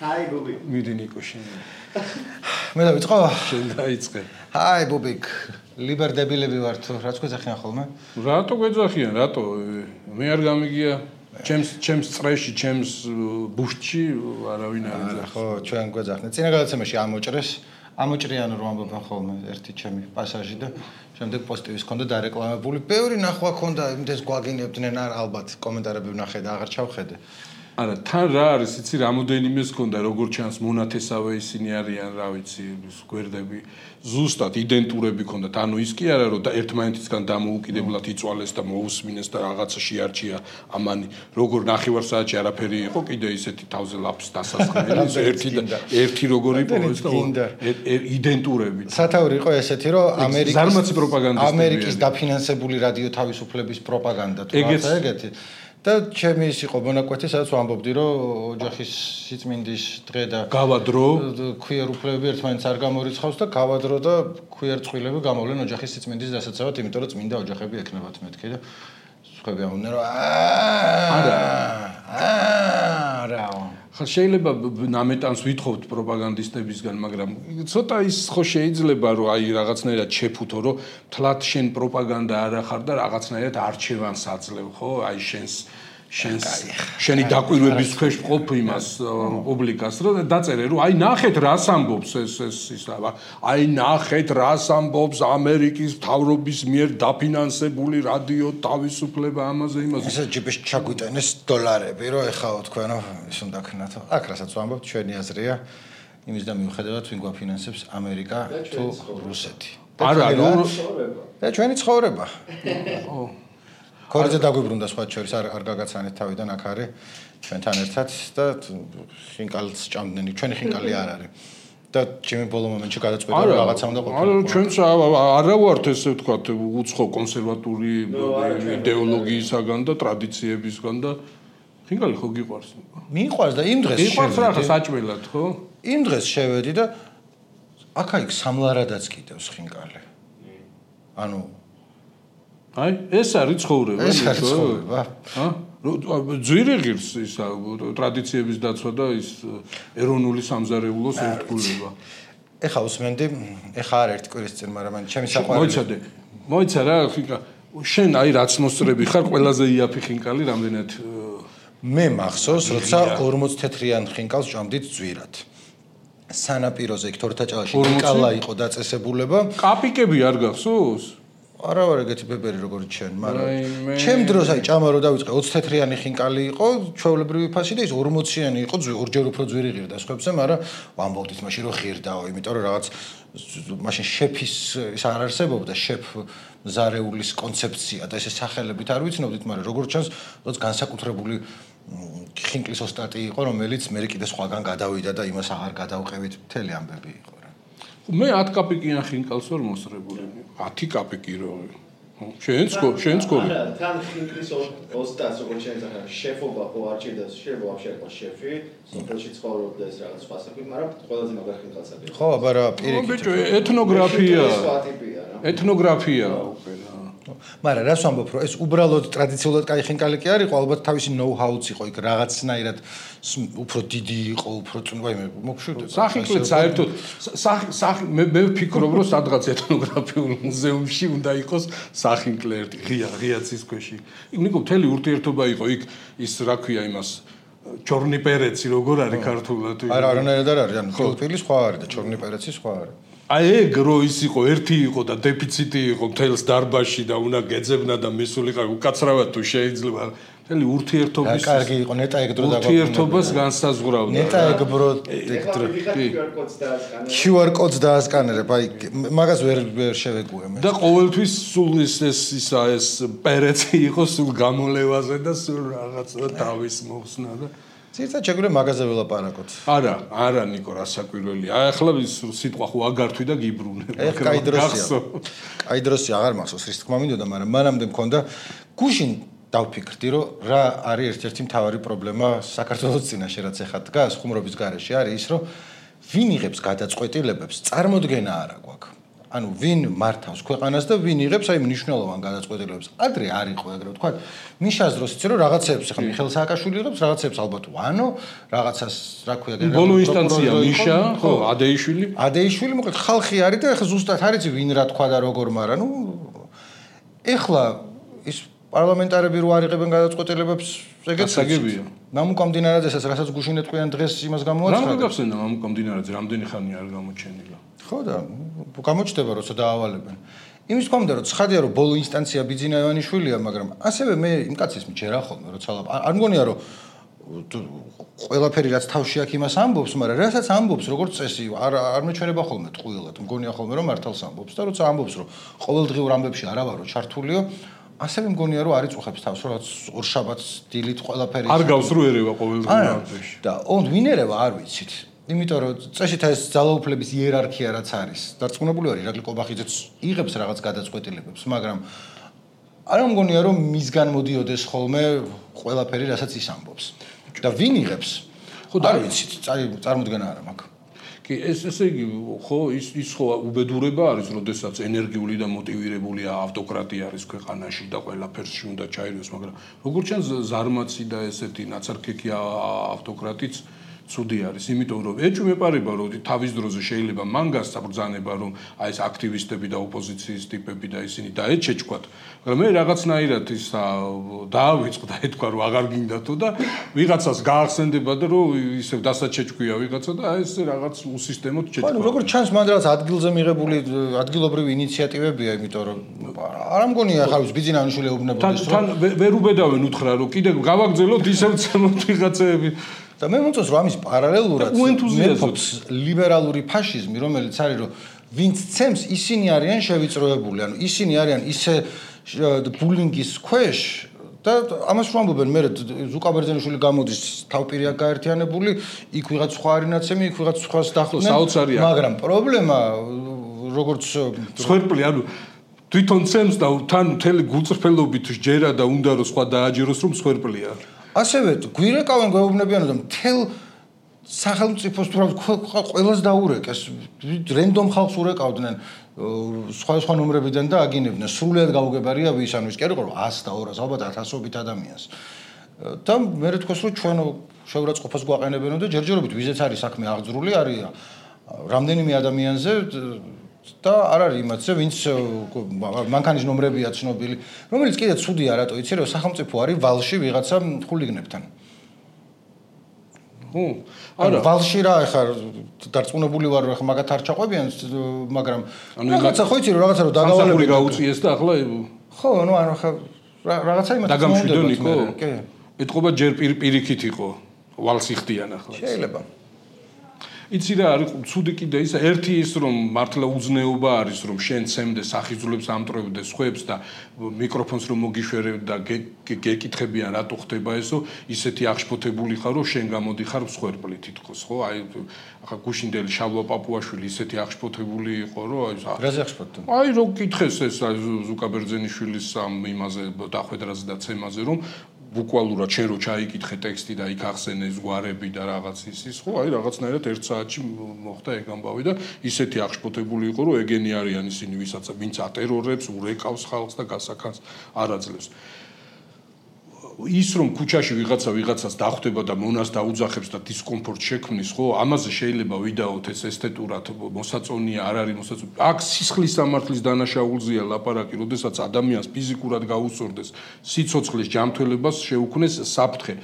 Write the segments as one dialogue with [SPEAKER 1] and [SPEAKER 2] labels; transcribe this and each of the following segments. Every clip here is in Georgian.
[SPEAKER 1] Hi, Bubik.
[SPEAKER 2] მიდი ნიკო შენ.
[SPEAKER 3] მე დავიწყო?
[SPEAKER 2] შენ დაიწყე.
[SPEAKER 3] Hi, Bubik. ლიბერდებილები ვართ, რაც გვეძახიან ხოლმე?
[SPEAKER 2] რატო გვეძახიან? რატო? მე არ გამიგია. ჩემს წრეში, ჩემს ბუშტში არავინ არ ეძახს.
[SPEAKER 3] ხო, ჩვენ გვეძახნე. წინა გადაცემაში ამოჭრიან რომ ამბობენ ხოლმე ერთი ჩემი პასაჟი და შემდეგ პოსტივის ქონდა დარეკლამებული. ბევრი ნახვა ქონდა, იმდეს გვაგინებდნენ, ალბათ კომენტარები ვნახე და აღარ ჩავხედე.
[SPEAKER 2] არა, თან რა არის, იცი, რამოდენიმეს ქონდა, როგორ ჩანს მონათესავე ისინი არიან, რა ვიცი, გვერდები, ზუსტად იდენტურები ქონდათ. ანუ ის კი არა, რომ ერთმანეთისგან დამოუკიდებლად იწვალეს და მოусმინეს და რაღაცა შეარჩია ამანი, როგორ ნახევარსაათში არაფერი იყო, კიდე ისეთი თავზე ლაფს დასასხმელი, ერთი როგორი პოვეს და იდენტურები.
[SPEAKER 3] სათაური იყო ესეთი, რომ
[SPEAKER 2] ზარმაცი პროპაგანდისტები
[SPEAKER 3] ამერიკის დაფინანსებული რადიო თავისუფლების პროპაგანდა თუ რაღაცა ეგეთი. და ჩემი ის იყო მონაკვეთი, სადაც ვამბობდი, რომ ოჯახის სიწმინდის დღე და
[SPEAKER 2] გავადრო,
[SPEAKER 3] ქვიერ უფლებები ერთმანეთს არ გამორიცხავს და გავადრო და ქვიერ წყვილები გამოვლენ ოჯახის სიწმინდის დასაცავად, იმიტომ რომ წმინდა ოჯახები ექნებათ მეთქი და სხვები ამბობდნენ, რომ არა.
[SPEAKER 2] ხა შეიძლება ნამეტანს ვითხოვთ პროპაგანდისტებისგან, მაგრამ ცოტა ის ხო შეიძლება რომ აი რაღაცნაირად შეფუთო, რომ თლათ შენ პროპაგანდა არ ახარ და რაღაცნაირად არჩევანს აძლევ, ხო? აი შენი დაკვირვების ქვეშ ყოფ იმას პუბლიკას, რომ დაწერე, რომ აი ნახეთ რას ამბობს ეს აი ნახეთ რას ამბობს ამერიკის მთავრობის მიერ დაფინანსებული რადიო თავისუფლება ამაზე იმაზე.
[SPEAKER 3] ესე ჯიპში ჩაგვიტანეს დოლარები, რომ ეხაო თქვენო ის უნდა ქნათო. აქ რასაც ვამბობთ, ჩვენი აზრია იმის და მიუხედავად ვინ გვაფინანსებს ამერიკა თუ რუსეთი.
[SPEAKER 2] არა,
[SPEAKER 3] და ჩვენი ცხოვრება. ო ქორზე დაგვიბრუნდა სხვა შორის არ გაგაცანეთ თავიდან აქ არის ჩვენთან ერთად და ხინკალს ჭამდნენ ჩვენი ხინკალი არ არის და ჩემი ბოლო მომენტში გადაწყვიტა რომ რაღაცა უნდა ყოფილიყო.
[SPEAKER 2] არა ჩვენც არა ვართ ესე ვთქვათ უცხო კონსერვატული იდეოლოგიისაგან და ტრადიციებისგან და ხინკალი ხო გიყვარს?
[SPEAKER 3] მიყვარს და იმ დღეს
[SPEAKER 2] მიყვარს რა საჭმელად ხო?
[SPEAKER 3] იმ დღეს შევედი და აქა-იქ სამლარადაც კიდევს ხინკალი. ანუ
[SPEAKER 2] აი ეს არის ცხოვრება
[SPEAKER 3] ეს არის ცხოვრება
[SPEAKER 2] ძვირი ღირს ისა ტრადიციების დაცვა და ის ეროვნული სამზარეულოს ერთგულება.
[SPEAKER 3] ეხა უსმენდი, ეხა არ ერთი კვირის წინ, მაგრამ ჩემი საყვარელი
[SPEAKER 2] მოიცა რა ხინკა შენ აი რაც მოსწრები ხარ ყველაზე იაფი ხინკალი რამდენად
[SPEAKER 3] მე მახსოვს როცა 40 თეთრიან ხინკალს ჭამდით ძვირად სანაპიროზე იქ თორთაჭალაში ხინკალა იყო დაწესებულება
[SPEAKER 2] კაპიკები არ გახსოვს?
[SPEAKER 3] არა ვარ ეგეთი ბებერი როგორც შენ, მაგრამ ჩემ დროს აი ჭამა რო დავიწყე 20 თეთრიანი ხინკალი იყო, ჩვეულებრივი ფასი და ის 40-იანი იყო, ორჯერ უფრო ძვირი ღირდა სხვებზე, მაგრამ ვამბობდით მაშინ რომ ღირდაო, იმიტომ რომ რაღაც მაშინ შეფის ის არ არსებობდა, შეფ ზარეულის კონცეფცია და ესე სახელებით არ ვიცნობდით, მაგრამ როგორც ჩანს, როც განსაკუთრებული ხინკლის ოსტატი იყო, რომელიც მე კიდე სხვაგან გადავიდა და იმას აღარ გადავყევით, მთელი ამბები იყო.
[SPEAKER 2] მე 10 კაპიკიან ხინკალს ვარ მოსწრებული. 10 კაპიკი რო. შენ სკოლი.
[SPEAKER 1] არა, თან ხინკლის ოსტატს როგორც შეიძლება შეფობა ხო არჩევდა, შეიძლება ვაფშე იყო შეფი, სოფელში ცხოვრობდეს რაღაც ფასები, მაგრამ ყველაზე მაგარ ხინკალს აკეთებ.
[SPEAKER 3] ხო, აბა რა პირიქით.
[SPEAKER 2] ბიჭო, ეთნოგრაფია უკვე რა.
[SPEAKER 3] მაგრამ რას ვამბობ, რომ ეს უბრალოდ ტრადიციულად კაი ხინკალი კი არ იყო, ალბათ თავისი ნოუ-ჰაუც იყო, იქ რაღაცნაირად უფრო დიდი იყო, უფრო ვაიმე, მოგშვიდე.
[SPEAKER 2] სახინკლეთ საერთოდ მე ვფიქრობ, რომ სადღაც ეთნოგრაფიულ მუზეუმში უნდა იყოს სახინკლე ერთი ღია ცისქვეში. ნიკო მთელი ურთიერთობა იყო იქ ის რა ქვია იმას ჩორნი პერეცი როგორ არის ქართულად?
[SPEAKER 3] არა, არანაირად არ არის, ანუ ფილტვილი სხვა არის და ჩორნი პერეცი სხვა არის.
[SPEAKER 2] აი ეგ რო ის იყო ერთი იყო და დეფიციტი იყო მთელს დარბაზში და უნდა გეძებნა და მისულიყო უკაცრავად თუ შეიძლება მთელი ურთიერთობის
[SPEAKER 3] კარგი იყო ნეტა ეგ დრო დაგვაქვს
[SPEAKER 2] ურთიერთობას განსაზღვრავდა
[SPEAKER 3] ნეტა ეგ ბრო QR კოდს დაასკანერებ აი მაგას ვერ შევეგუე მე
[SPEAKER 2] და ყოველთვის სულ ეს პერეცი იყო სულ გამოლევაზე და სულ რაღაცა თავის მოხსნა და
[SPEAKER 3] ცირცად შეგვიძლია მაგაზე ველაპარაკოთ.
[SPEAKER 2] არა ნიკო, რა საკვირველია. აი ახლა სიტყვა ხო აგართვი და გიბრუნე.
[SPEAKER 3] კაი დროსია. კაი დროსია, აღარ მახსოვს, რის თქმა მინდოდა, მაგრამ მანამდე მქონდა გუშინ დავფიქრდი, რომ რა არის ერთ-ერთი მთავარი პრობლემა საქართველოს წინაშე, რაც ეხლა დგას ხუმრობის გარეშე, არის ის, რომ ვინ იღებს გადაწყვეტილებებს, წარმოდგენა არ აქვს. ანუ ვინ მართავს ქვეყანას და ვინ იღებს აი მნიშვნელოვან გადაწყვეტილებებს. ადრე არ იყო ეგრე ვთქვათ. მიშას დროს იცი რომ რაღაცებს ხა მიხეილ სააკაშვილი იღებს, რაღაცებს ალბათ ვანო, რაღაცას რა ქვია გენერალური
[SPEAKER 2] ბოლო ინსტანცია მიშა, ხო, ადეიშვილი მოკლედ ხალხი არის და ეხლა ზუსტად არ იცი ვინ რა თქვა და როგორ, მაგრამ ნუ ეხლა ის პარლამენტარები რო არიღებენ გადაწყვეტილებებს ეგეც აგებია.
[SPEAKER 3] მამუკა მდინარაძესაც რასაც გუშინ ეთქვიან დღეს იმას გამოაცხადა.
[SPEAKER 2] რა გაგახსენდა მამუკა მდინარაძე რამდენი ხანია არ გამოჩენილა.
[SPEAKER 3] ხო და გამოჩნდება როცა დაავალებენ. იმის თქმა უნდა რომ ცხადია რომ ბოლო ინსტანცია ბიძინა ივანიშვილია, მაგრამ ასევე მე იმ კაცის მიჩერა ხოლმე როცა არ მგონია რომ ყველაფერი რაც თავში აქვს იმას ამბობს, მაგრამ რასაც ამბობს როგორც წესი არ მეჩვენება ხოლმე ტყუილად. მგონია ხოლმე რომ მართალს ამბობს და როცა ამბობს რომ ყოველდღიურ ამბებში არა ვარო ჩართულიო, ასევე მგონია რომ არ იწუხებს თავს, რომ ორშაბათს დილით ყველაფერი
[SPEAKER 2] არ გავს რო ერევა ყოველდღიურ ამბებში.
[SPEAKER 3] და ვინ ერევა არ ვიცით. იმიტომ რომ წესით ეს ძალაუფლების იერარქია რაც არის, დარწმუნებული ვარ ირაკლი ყობახიძეც იღებს რაღაც გადაწყვეტილებებს, მაგრამ არ მგონია რომ მისგან მოდიოდეს ხოლმე ყველაფერი რასაც ის ამბობს. და ვინ იღებს? ხო და არ ვიცით, წარმოდგენა არა მაქვს.
[SPEAKER 2] კი, ესე იგი, ხო, ის ხო უბედურება არის, როდესაც ენერგიული და მოტივირებული ავტოკრატია არის ქვეყანაში და ყველაფერში უნდა ჩაირიოს, მაგრამ როგორც ჩანს ზარმაცი და ესეთი ნაცარქექი ავტოკრატიც ცუდი არის, იმიტომ რომ ეჭვმეპარება რომ თავის დროზე შეიძლება მან გასცა ბრძანება რომ აი ეს აქტივისტები და ოპოზიციის ტიპები და ისინი დაეჩეჩქვათ, მაგრამ მე რაღაცნაირად ის დაავიწყდა ეთქვა რომ აღარ გინდათო და ვიღაცას გაახსენდება და რომ ისევ დასაჩეჩქვია ვიღაცა და ეს რაღაც უსისტემოდ ჩეჩქვა.
[SPEAKER 3] ანუ როგორც ჩანს მან რაღაც ადგილზე მიღებული ადგილობრივი ინიციატივებია, იმიტომ რომ არ მგონია ხარ ბიძინა ივანიშვილი ეუბნებოდეს რომ
[SPEAKER 2] თან ვერ უბედავენ უთხრა რომ კიდე გავაგზელოთ ისევ ცემოთ ვიღაცები
[SPEAKER 3] და მე მომწონს რომ ამის პარალელურად მეფობს ლიბერალური ფაშიზმი, რომელიც არის რომ ვინც ცემს ისინი არიან შევიწროებული, ანუ ისინი არიან ისე ბულინგის ქვეშ და ამას რომ ამბობენ მე ზუკა ბერძენიშვილი გამოდის თავპირია გაერთიანებული, იქ ვიღაც სხვა არინაცემი, იქ ვიღაც სხვას დახვდნენ, მაგრამ პრობლემა როგორც
[SPEAKER 2] სხერპლი ანუ თვითონ ცემს და თან მთელი გულწრფელობით ჯერა და უნდა რომ სხვა დააჯეროს რომ სხერპლია. ასევე
[SPEAKER 3] გვირეკავენ გვეუბნებიან რომ მთელ სახელმწიფოს თუ ყველას დაურეკეს, რენდომ ხალხს урეკავდნენ სხვა ნომრებიდან და აგინებდნენ, სრულად გაუგებარია ვის ანუ ის კი არ იყო 100 და 200 ალბათ 1000-ობით ადამიანს. და მე რთქოს რომ ჩვენ შეურაცხყოფას გვაყენებენო და ჯერჯერობით ვიზეც არის საქმე აღძრული არის რამდენიმე ადამიანზე და არ არის იმათზე ვინც მანქანის ნომრებია ცნობილი, რომელიც კიდე ცუდია რატო იცი რომ სახელმწიფო არის ვალში ვიღაცა ხულიგნებთან. არა ვალში რა ახლა დარწმუნებული ვარ რომ მაგათ არ ჩაყვებიან, მაგრამ რაღაცა ხო იცი რომ რაღაცა რომ
[SPEAKER 2] დაგავალებული გაუწიეს და ახლა
[SPEAKER 3] ხო ანუ ახლა რაღაცა იმათ
[SPEAKER 2] დაგამშვიდონი ხო? კი. ეთყობა ჯერ პირიქით იყო ვალს იხდიან ახლა.
[SPEAKER 3] შეიძლება.
[SPEAKER 2] იცი რა არის ცუდი კიდე ისა ერთი ის რომ მართლა უზნეობა არის რომ შენ ცემდე სახიზულებს ამტრევდე სხვებს და მიკროფონს რომ მოგიშვერებ და გეკითხებიან რატო ხდება ესო ისეთი აღშფოთებული ხარ რომ შენ გამოდიხარ მსხვერპლი თითქოს ხო აი ახლა გუშინდელი შალვა პაპუაშვილი ისეთი აღშფოთებული იყო რომ აი
[SPEAKER 3] რაზე აღშფოთდა
[SPEAKER 2] აი რო კითხეს ეს ზუკა ბერძენიშვილის ამ იმაზე დახვედრაზე და ცემაზე რომ ბუკვალურად შენ რო ჩაიკითხე ტექსტი და იქ ახსენე ზღვარები და რაღაც ის ხო აი რაღაცნაირად 1 საათში მოხდა ეგ ამბავი და ისეთი აღშფოთებული იყო რომ ეგენი არიან ისინი ვინც ატერორებს, ურეკავს ხალხს და გასახანს არ აძლევს. ის რომ ქუჩაში ვიღაცას დახვდება და მონას დაუძახებს და დისკომფორტ შექმნის ხო ამაზე შეიძლება ვიდაოთ ეს ესთეტურად მოსაწონია არ არის მოსაწონი აქ სისხლის სამართლის დანაშაულზეა ლაპარაკი როდესაც ადამიანს ფიზიკურად გაუსწორდეს სიცოცხლის ჯანმრთელობას შეუქმნეს საფრთხე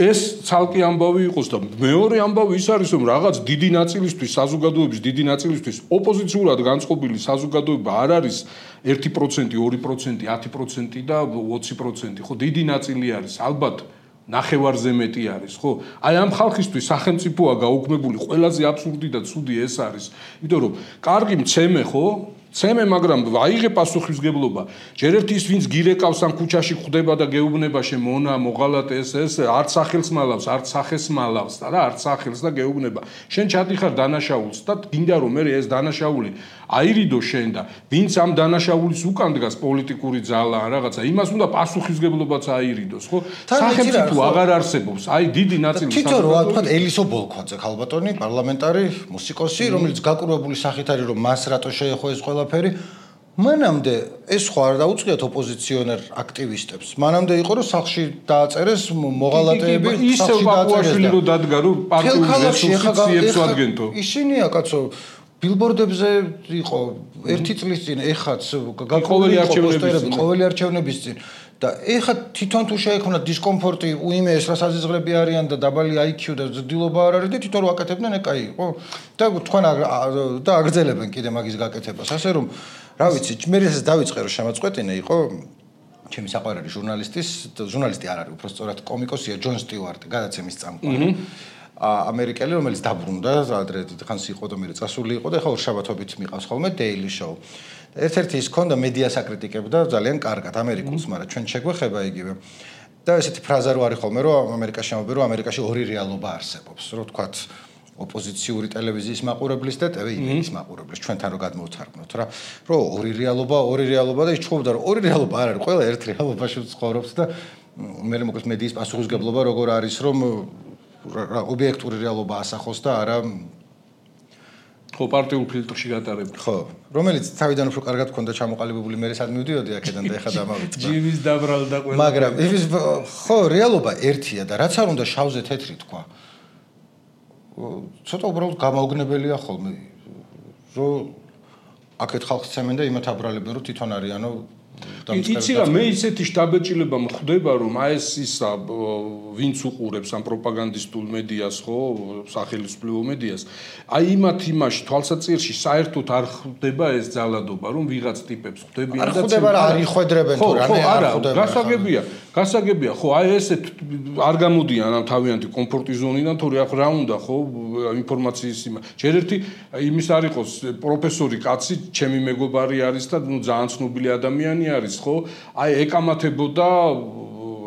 [SPEAKER 2] ეს ცალკე ამბავი იყოს და მეორე ამბავი ის არის რომ რაღაც დიდი ნაწილისთვის საზოგადოების დიდი ნაწილისთვის ოპოზიციურად განწყობილი საზოგადოება არ არის 1%, 2%, 10% და 20%. ხო, დიდი ნაწილი არის. ალბათ ნახევარზე მეტი არის, ხო? აი ამ ხალხისთვის სახელმწიფოა გაუქმებული, ყველაზე აბსურდი და ცუდი ეს არის. იმიტომ რომ კარგი მცემე, ხო? ცემე, მაგრამ აიღე პასუხისმგებლობა. ჯერ ერთი ის ვინც გირეკავს ამ ქუჩაში ხვდება და გეუბნება შემონა, მოღალატე ეს არც სახელს მალავს, არც სახეს მალავს და რა არც სახელს და გეუბნება. შენ ჩადიხარ დანაშაულს და გინდა რომ მე ეს დანაშაული აირიდო შენ და ვინც ამ დანაშაულის უკან დგას პოლიტიკური ძალა რაღაცა იმას უნდა პასუხისმგებლობაც აირიდოს, ხო? სახელმწიფო აღარ არსებობს. აი დიდი ნაწილი
[SPEAKER 3] თვითონ რა თქვა ელისო ბოლქვაძე ხალბატონი პარლამენტარი მუსიკოსი, რომელიც გაკურვებული სახით არის რომ მას რატო შეეხო ეს ყველა ყველაფერი მანამდე ეს ხო არ დაუწყიათ ოპოზიციონერ აქტივისტებს. მანამდე იყო რომ სახში დააწერეს მოღალატეები,
[SPEAKER 2] ისევ ბაკუაშვილი რო დადგა რომ პარტიულ რესურსებს უადგენთო.
[SPEAKER 3] ისინია კაცო ბილბორდებზე იყო 1 წლის წინ ეხაც
[SPEAKER 2] ყოველი
[SPEAKER 3] არჩევნების წინ და ეხა თვითონ თუ შეექმნათ დისკომფორტი უიმე ეს რასაზღვრები არიან და დაბალი IQ და ზრდილობა არ არის და თვითონ ვაკეთებდნენ ეკაი იყო და თქვენ და აგრძელებენ კიდე მაგის გაკეთებას ასე რომ რა ვიცი მე ეს დავიწყე რომ შემაწყვეტინე იყო ჩემი საყვარელი ჟურნალისტი არ არის უბრალოდ კომიკოსია ჯონ სტიუარტი გადაცემის წამყვანი ამერიკელი რომელიც დაბრუნდა ადრე დიდხანს იყო და მე წასული იყო და ეხლა ორშაბათობით მიყავს ხოლმე Daily Show ერთ-ერთი ის ქონდა მედია საკრიტიკებდა ძალიან კარგად ამერიკულს მაგრამ ჩვენ შეგვეხება იგივე და ესეთი ფრაზა რო არის ხოლმე რომ ამერიკაში ამბობენ რომ ამერიკაში ორი რეალობა არსებობს რო თქვათ ოპოზიციური ტელევიზიის მაყურებლის და ტელევიზიის მაყურებლის ჩვენთან რო გადმოვთარგმნოთ რა რომ ორი რეალობა და ის ჩხუბდა რომ ორი რეალობა არ არის ყველა ერთ რეალობაში ცხოვრობს და მე მოკლედ მედიის პასუხისგებლობა როგორ არის რომ ობიექტური რეალობა ასახოს და არა
[SPEAKER 2] ხო პარტიულ ფილტრში გატარებული
[SPEAKER 3] ხო რომელიც თავიდან უფრო კარგად ქონდა ჩამოყალიბებული მე სად მივდიოდი აქედან და ეხა დამავიწყდა
[SPEAKER 2] ჯიმის დაბრალდა ყველა
[SPEAKER 3] მაგრამ ის ხო რეალობა ერთია და რაც არ უნდა შავზე თეთრი თქვა ცოტა უბრალოდ გამაოგნებელია ხოლმე რომ აქეთ ხალხს ცემენ და იმათ აბრალებენ რომ თვითონ არიანო
[SPEAKER 2] იცი რა მე ისეთი შტაბეჭილება მხვდება რომ აი ეს ისა ვინც უყურებს ამ პროპაგანდისტულ მედიას ხო სახელმწიფო მედიას აი იმაში თვალსაჩინში საერთოდ არ ხდება ეს ძალადობა რომ ვიღაც ტიპებს ხვდებიან
[SPEAKER 3] და ხდება რა არ იხვედრებენ თუ რამე არ
[SPEAKER 2] ხდება გასაგებია ხო აი ესეთ არ გამოდიან ამ თავიანთი კომფორტის ზონიდან თუ რა უნდა ხო ინფორმაციის ჯერ ერთი იმის არ იყოს პროფესორი კაცი ჩემი მეგობარი არის და ნუ ძალიან ცნობილი ადამიანი არის ხო აი ეკამათებოდა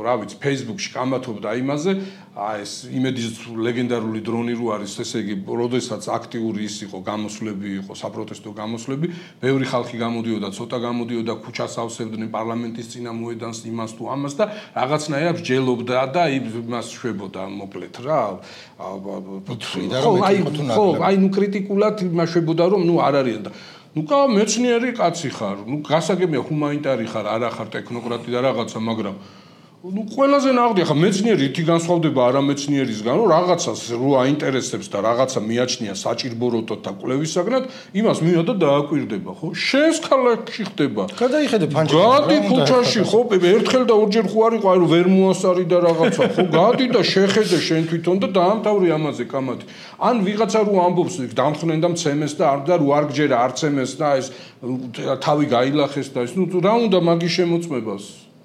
[SPEAKER 2] რა ვიცი Facebook-ში კამათობდა იმაზე აი ეს იმედის ლეგენდარული დრონი რო არის ესე იგი როდესაც აქტიური ის იყო გამოსვლები იყო საპროტესტო გამოსვლები ბევრი ხალხი გამოდიოდა ცოტა გამოდიოდა ქუჩას ავსებდნენ პარლამენტის წინა მოედანს იმას თუ ამას და რაღაცნაირად ჯელობდა და იმას შვებოდა მოკლედ რა აი ნუ კრიტიკულად იმას შვებოდა რომ ნუ არ არიან და ნუ მეცნიერი კაცი ხარ, ნუ გასაგებია ჰუმანიტარი ხარ, არა ხარ ტექნოკრატი და რაღაცა, მაგრამ ნუ ყველაზე ნაღდი ხარ, მეცნიერი ითი განსხვავდება არამეცნიერისგან, რომ რაღაცას რო აინტერესებს და რაღაცა მიაჩნია საჭირბოროტოდ და კვლევისაგნად, იმას მია და დააკვირდება, ხო? შენს ქალაქში ხდება.
[SPEAKER 3] გადაიხედე ფანჯრაში.
[SPEAKER 2] გადი ქუჩაში, ხო, ერთხელ და ორჯერ ხო არ იყო, აი რომ ვერ მოასარი და რაღაცა, ხო? გადი და შეხედე შენ თვითონ და დაამთავრე ამაზე კამათი. ან ვიღაცა რო ამბობს დამხნენ და მცემეს და არ და რო არ გჯერა არ ცემეს და ეს თავი გაილახეს და ეს ნუ რა უნდა მაგის შემოწმებას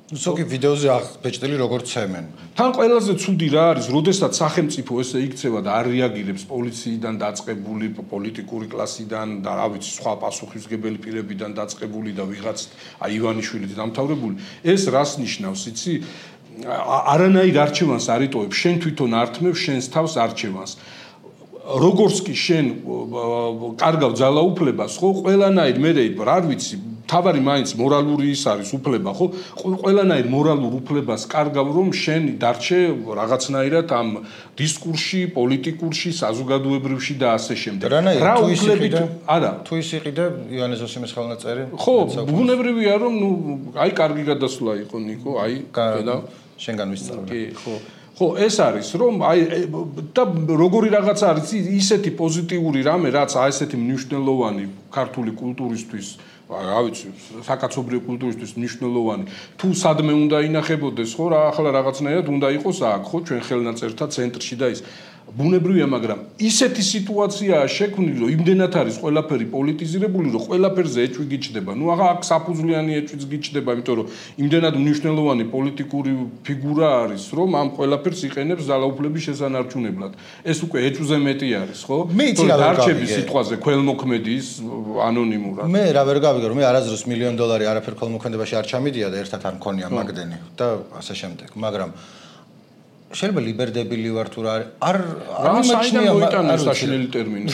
[SPEAKER 3] ზოგი ვიდეოზე აღბეჭდილი როგორ ცემენ
[SPEAKER 2] თან ყველაზე ცუდი რა არის როდესაც სახელმწიფო ესე იქცევა და არ რეაგირებს პოლიციიდან დაწყებული პოლიტიკური კლასიდან და რა ვიცი სხვა პასუხისმგებელი პირებიდან დაწყებული და ვიღაც აი ივანიშვილით დამთავრებული ეს რას ნიშნავს იცი არანაირ არჩევანს არ იტოვებს შენ თვითონ ართმევ შენს თავს არჩევანს როგორც კი შენ კარგავ ძალაუფლებას ხო ყველანაირ მე არ ვიცი თავარი მაინც მორალური ის არის უფლება ხო ყველანაირ მორალურ უფლებას კარგავ რომ შენ დარჩე რაღაცნაირად ამ დისკურსში პოლიტიკურში საზოგადოებრივში და ასე შემდეგ
[SPEAKER 3] რა უფლებით
[SPEAKER 2] არა
[SPEAKER 3] თუ ის იყიდე ივანე ზოსიმეს ხელნაწერი
[SPEAKER 2] ხო ბუნებრივია რომ ნუ აი კარგი გადასვლა იყო ნიკო აი
[SPEAKER 3] და შენგან ვისწავლე
[SPEAKER 2] კი ხო ხო ეს არის რომ აი და როგორი რაღაცა არის ისეთი პოზიტიური რამე რაც აი ესეთი მნიშვნელოვანი ქართული კულტურისთვის რა ვიცი საკაცობრიო კულტურისთვის მნიშვნელოვანი თუ სადმე უნდა ინახებოდეს ხო რა ახლა რაღაცნაირად უნდა იყოს აქ ხო ჩვენ ხელნაწერთა ცენტრში და ის ბუნებრივია მაგრამ ისეთი სიტუაციაა შექმნილი რომ იმდენად არის ყველაფერი პოლიტიზირებული რომ ყველაფერზე ეჭვი გიჩდება ნუ ახლა აქ საფუძვლიანი ეჭვიც გიჩდება იმიტომ რომ იმდენად მნიშვნელოვანი პოლიტიკური ფიგურა არის რომ ამ ყველაფერს იყენებს ძალაუფლების შესანარჩუნებლად ეს უკვე ეჭვზე მეტი არის ხო დარჩების სიტყვაზე ქველმოქმედის ანონიმურად
[SPEAKER 3] მე რა ვერ გავიგე რომ მე არასდროს $1,000,000 არაფერ ქველმოქმედებაში არ ჩამიდია და ერთად არ მქონია მაგდენი და ასე შემდეგ მაგრამ შეიძლება ლიბერდებილი ვარ თუ რა არ
[SPEAKER 2] იმაჩნია მოიტანოს საშინელი ტერმინი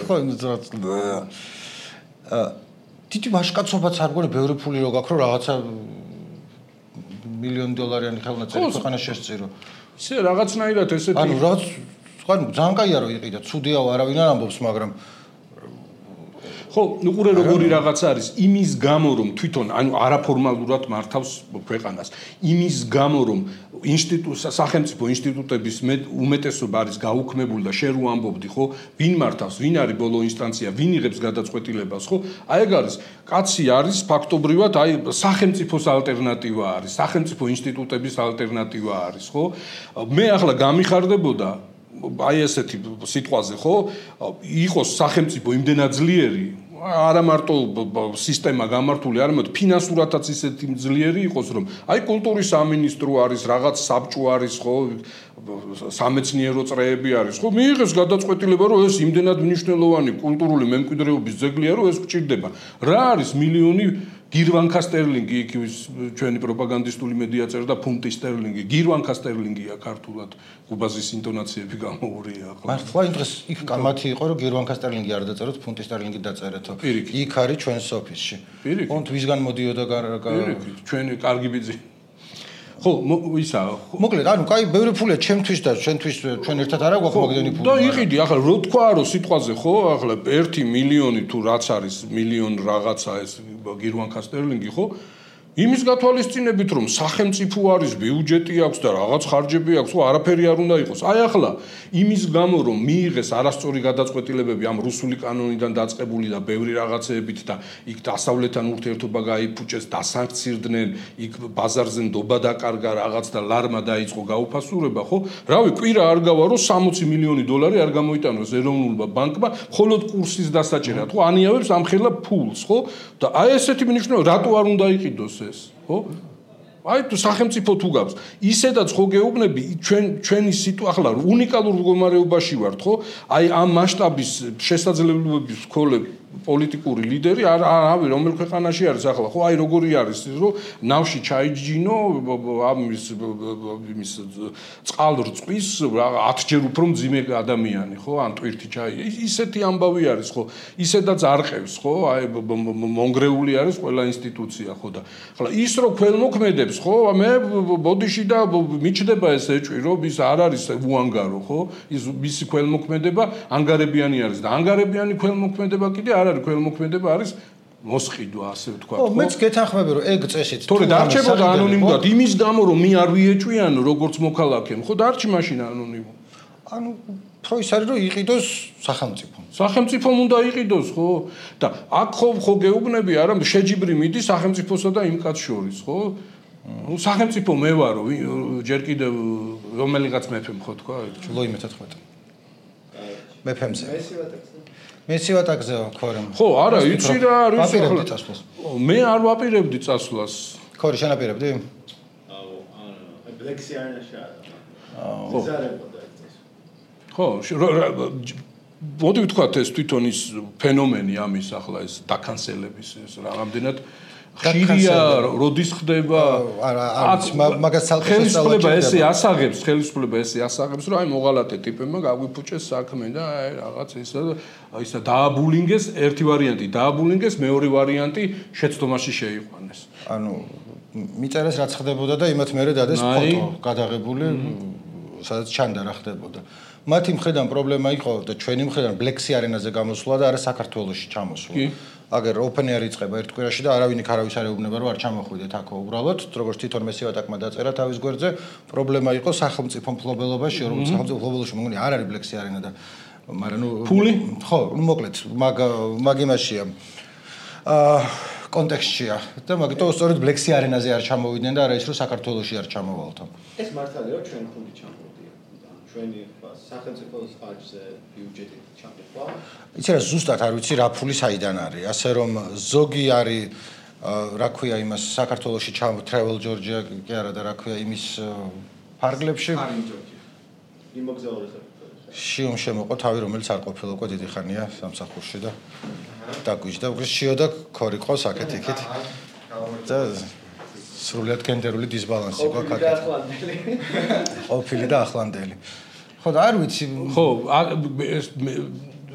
[SPEAKER 3] ხო თითი ვაშკაცობაც არ გქონია ბევრი ფული რო გაქვს რომ რაღაცა $1,000,000-იანი ხელნაწერი ქვეყანას შესწირო
[SPEAKER 2] ისე რაღაცნაირად ესეთი
[SPEAKER 3] ანუ რაღაც ძალიან კაია რომ იყიდა ცუდია არავინ არ ამბობს მაგრამ
[SPEAKER 2] ხო, უყურე როგორი რაღაც არის იმის გამო რომ თვითონ ანუ არაფორმალურად მართავს ქვეყანას. იმის გამო რომ სახელმწიფო ინსტიტუტების უმეტესობა არის გაუქმებული და შენ რო ამბობდი, ხო, ვინ მართავს, ვინ არის ბოლო ინსტანცია, ვინ იღებს გადაწყვეტილებას, ხო? აი ეგ არის კაცი არის ფაქტობრივად აი სახელმწიფოს ალტერნატივა არის, სახელმწიფო ინსტიტუტების ალტერნატივა არის, ხო? მე ახლა გამიხარდებოდა აი ესეთი სიტყვაზე, ხო? იყოს სახელმწიფო იმდენად ძლიერი არა მარტო სისტემა გამართული, არამედ ფინანსურათაც ისეთი ძლიერი იყოს, რომ აი კულტურის სამინისტრო არის, რაღაც საბჭო არის, ხო, სამეცნიერო წრეები არის, ხო, მიიღეს გადაწყვეტილება, რომ ეს იმდენად მნიშვნელოვანი კულტურული მემკვიდრეობის ძეგლია, რომ ეს გჭირდება. რა არის მილიონი გირვანკა სტერლინგი, იქ ჩვენი პროპაგანდისტული მედია წერდა ფუნტი სტერლინგი, გირვანკა სტერლინგია ქართულად, ყუბაზის ინტონაციები გამოურია.
[SPEAKER 3] მართლა იმ დღეს იქ მათი იყო, რომ გირვანკა სტერლინგი არ დაწეროთ, ფუნტი სტერლინგი დაწერეთო. იქ არის ჩვენს ოფისში.
[SPEAKER 2] ოღონდ
[SPEAKER 3] ვისგან მოდიოდა
[SPEAKER 2] ჩვენი კარგი ბიძი. ხო, ისა.
[SPEAKER 3] მოკლედ, ანუ კაი, ბევრი ფულია ჩემთვის და ჩვენთვის, ჩვენ ერთად არა გვაქვს მაგდენი ფული.
[SPEAKER 2] და იყიდი, ახლა რო თქვა, რომ სიტყვაზე ხო, ახლა 1 მილიონი თუ რაც არის, მილიონ რაღაცა ეს გირვანკა სტერლინგი, ხო? იმის გათვალისწინებით, რომ სახელმწიფო არის, ბიუჯეტი აქვს და რაღაც ხარჯები აქვს, ხო, არაფერი არ უნდა იყოს. აი ახლა იმის გამო, რომ მიიღეს არასწორი გადაწყვეტილებები ამ რუსული კანონიდან დაწყებული და ბევრი რაღაცეებით და იქ დასავლეთთან ურთიერთობა გაიფუჭეს, დასანქცირდნენ, იქ ბაზარზე ნდობა დაკარგა რაღაც და ლარმა დაიწყო გაუფასურება, ხო? რავი, კვირა არ გავა, რომ 60 მილიონი დოლარი არ გამოიტანოს ეროვნულმა ბანკმა, მხოლოდ კურსის დასაჭერად, ხო? ანიავებს ამხელა ფულს, ხო? და აი ესეთი მნიშვნელობა, რატო არ უნდა იყიდოს ეს, ხო? აი თუ სახელმწიფო თუ გავს, ისედაც ხო გეუბნები, ჩვენი სიტუაცია ახლა უნიკალურ მდგომარეობაში ვართ, ხო? აი ამ მასშტაბის შესაძლებლობების მქონე პოლიტიკური ლიდერი არავი რომელ ქვეყანაში არის ახლა, ხო? აი როგორი არის, რომ ნავში ჩაიჯინო იმის წყალრწყვის 10 ჯერ უფრო მძიმე ადამიანი, ხო? ან ტვირთი ჩაი. ისეთი ამბავი არის, ხო? ისედაც არყევს, ხო? აი მონგრეული არის ყველა ინსტიტუცია, ხო და ახლა ის რო ქველმოქმედებს, ხო? მე ბოდიში და მიჩდება ეს ეჭვი, რომ ის არ არის უანგარო, ხო? ის მისი ქველმოქმედება ანგარებიანი არის და ანგარებიანი ქველმოქმედება კიდე არ არის ქველმოქმედება არის მოსყიდვა, ასე ვთქვა.
[SPEAKER 3] ხო, მეც გეთანხმები, რომ ეგ წესით
[SPEAKER 2] თორე დარჩებოდა ანონიმურად იმის გამო, რომ მე არ ვიეჭვიანო როგორც მოქალაქემ, ხო, დარჩი მაშინ ანონიმო.
[SPEAKER 3] ანუ თქო ის არის, რომ იყიდოს სახელმწიფო.
[SPEAKER 2] სახელმწიფომ უნდა იყიდოს, ხო? და აქ ხო გეუბნები, არა, შეჯიბრი მიდის სახელმწიფოსა და იმ კაც შორის, ხო? სახელმწიფო მე ვარო, ჯერ კიდევ რომელიღაც მეფემ ხო თქვა?
[SPEAKER 3] ლოი მე-14. მეფემზე. მესივატაკზე ქორემ.
[SPEAKER 2] ხო, არა, იცი რა არის
[SPEAKER 3] ვაპირებდი წასვლას.
[SPEAKER 2] მე არ ვაპირებდი წასვლას.
[SPEAKER 3] ქორი შენ აპირებდი?
[SPEAKER 1] ბლექსი არ ნაშადა.
[SPEAKER 2] ხო.
[SPEAKER 1] ზარებოდა ეს.
[SPEAKER 2] ხო, მოდი ვთქვათ ეს თვითონ ის ფენომენი ამის ახლა ეს დაკანსელების ეს რამდენად ხშირია როდის ხდება
[SPEAKER 3] მაგას ცალკე
[SPEAKER 2] ხელისუფლება ესე ასაღებს რომ აი მოღალატე ტიპებმა გაგვიფუჭეს საქმე და აი რაღაც ისა დააბულინგეს ერთი ვარიანტი დააბულინგეს მეორე ვარიანტი შეცდომაში შეიყვანეს
[SPEAKER 3] ანუ მიწერეს რაც ხდებოდა და იმათ მერე დადეს ფოტო გადაღებული სადაც ჩანდა რა ხდებოდა მათი მხრიდან პრობლემა იყო და ჩვენი მხრიდან ბლექსი არენაზე გამოსვლა და არა საქართველოში ჩამოსვლა აგერ ოპენი არ იწყება ერთ კვირაში და არავინ იქ არავის არ ეუბნება რომ არ ჩამოხვიდეთ აქ უბრალოდ როგორც თვითონ მესივატაკმა დაწერა თავის გვერდზე პრობლემა იყო სახელმწიფო მფლობელობაში რომ სახელმწიფო მფლობელობაში მოგონი არ არის ბლექსი არენა და მაგრამ ნუ
[SPEAKER 2] ფული
[SPEAKER 3] ხო ნუ მოკლედ მაგ იმაშია კონტექსტშია და მაგიტო სწორედ ბლექსი არენაზე არ ჩამოვიდნენ და არა ის რომ საქართველოში არ ჩამოვალთო
[SPEAKER 1] ეს მართალია რომ ჩვენ ფული ჩამოვდია ჩვენი სახელმწიფოს ხარჯზე ბიუჯეტით ჩამოხვა
[SPEAKER 3] იცი რა ზუსტად არ ვიცი რა ფული საიდან არის ასე რომ ზოგი არის რა ქვია იმას საქართველოში travel Georgia კი არა და რა ქვია იმის ფარგლებში შიომ შემოყო თავი რომელიც არ ყოფილა უკვე დიდი ხანია სამსახურში და დაგვიჯდა უკვე შიო და ქორი ყავს აქეთ იქით და სრულად გენდერული დისბალანსი ყო აქეთ ყოფილი და ახლანდელი ხო და არ ვიცი
[SPEAKER 2] ხო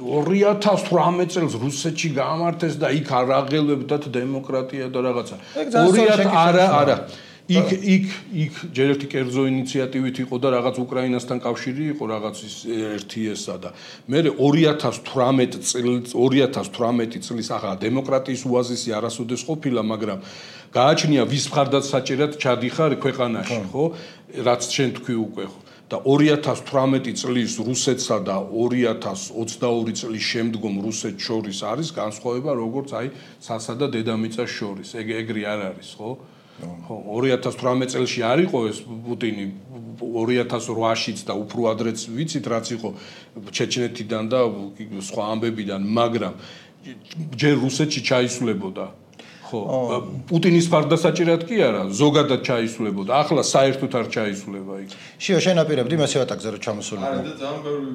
[SPEAKER 2] 2018 წელს რუსეთში გამართეს და იქ არ აღელვებდათ დემოკრატია და რაღაცა 2000 არა იქ ჯერ ერთი კერძო ინიციატივით იყო და რაღაც უკრაინასთან კავშირი იყო რაღაც ერთი ესა და მე 2018 წლის ახლა დემოკრატიის უაზისი არასოდეს ყოფილა, მაგრამ გააჩნია ვის მხარდაც საჭირად ჩადიხარ ქვეყანაში, ხო? რაც შენ თქვი უკვე, ხო? და 2018 წლის რუსეთსა და 2022 წლის შემდგომ რუსეთს შორის არის განსხვავება, როგორც აი სასა და დედამიწას შორის. ეგრე არ არის, ხო? ხო, 2018 წელში არ იყო ეს პუტინი 2008-შიც და უფრო ადრეც ვიცით რაც იყო ჩეჩნეთიდან და სხვა ამბებიდან, მაგრამ ჯერ რუსეთში ჩაისვლებოდა. ხო, პუტინის მხარდასაჭირად კი არა, ზოგადად ჩაისვლებოდა. ახლა საერთოდ არ ჩაისვლება იქ.
[SPEAKER 3] შიო, შენ აპირებდი მასევატაკზე რომ ჩამოსულიყო.
[SPEAKER 4] არა და ძალიან ბევრი